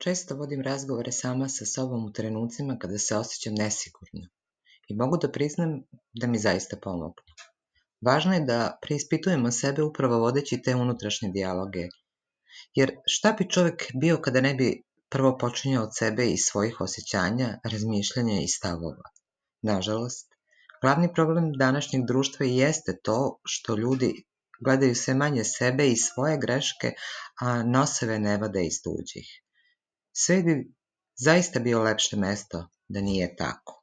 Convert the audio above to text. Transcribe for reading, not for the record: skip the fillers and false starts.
Često vodim razgovore sama sa sobom u trenucima kada se osjećam nesigurno i mogu da priznam da mi zaista pomognu. Važno je da preispitujemo sebe upravo vodeći te unutrašnje dijaloge, jer šta bi čovek bio kada ne bi prvo počinjao od sebe i svojih osjećanja, razmišljanja i stavova. Nažalost, glavni problem današnjeg društva i jeste to što ljudi gledaju sve manje sebe i svoje greške, a noseve ne vade iz tuđih. Sve bi zaista bio lepše mesto da nije tako.